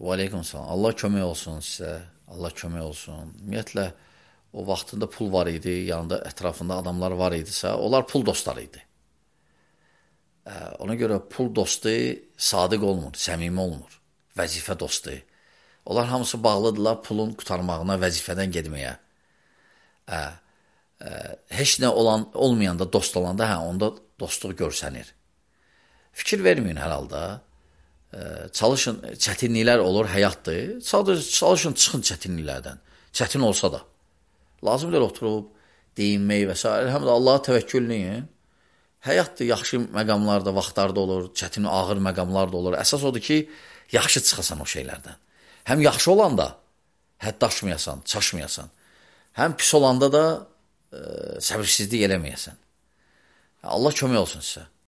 Və aleykum salam. Allah kömək olsun sizə. Allah kömək olsun. Ümumiyyətlə, o vaxtında pul var idi, yanında ətrafında adamlar var idisə, onlar pul dostları idi. Ona görə pul dostu sadiq olmur, səmimi olmur, vəzifə dostu. Onlar hamısı bağlıdırlar pulun qutarmağına, vəzifədən gedməyə. Heç nə olmayanda, dost olanda, onda dostluq görsənir. Fikir verməyin hər halda. Çalışın, çətinliklər olur, həyatdır. Çalışın, çıxın çətinliklərdən. Çətin olsa da. Lazımdır oturub, deyinmək və s. Həm də Allaha təvəkkülləyin. Həyatdır, yaxşı məqamlar da, vaxtlar da olur, çətin, ağır məqamlar da olur. Əsas odur ki, yaxşı çıxasan o şeylərdən. Həm yaxşı olanda həddaşmayasan, çaşmayasan. Həm pis olanda da səbirsizlik eləməyəsən. Allah kömək olsun sizə.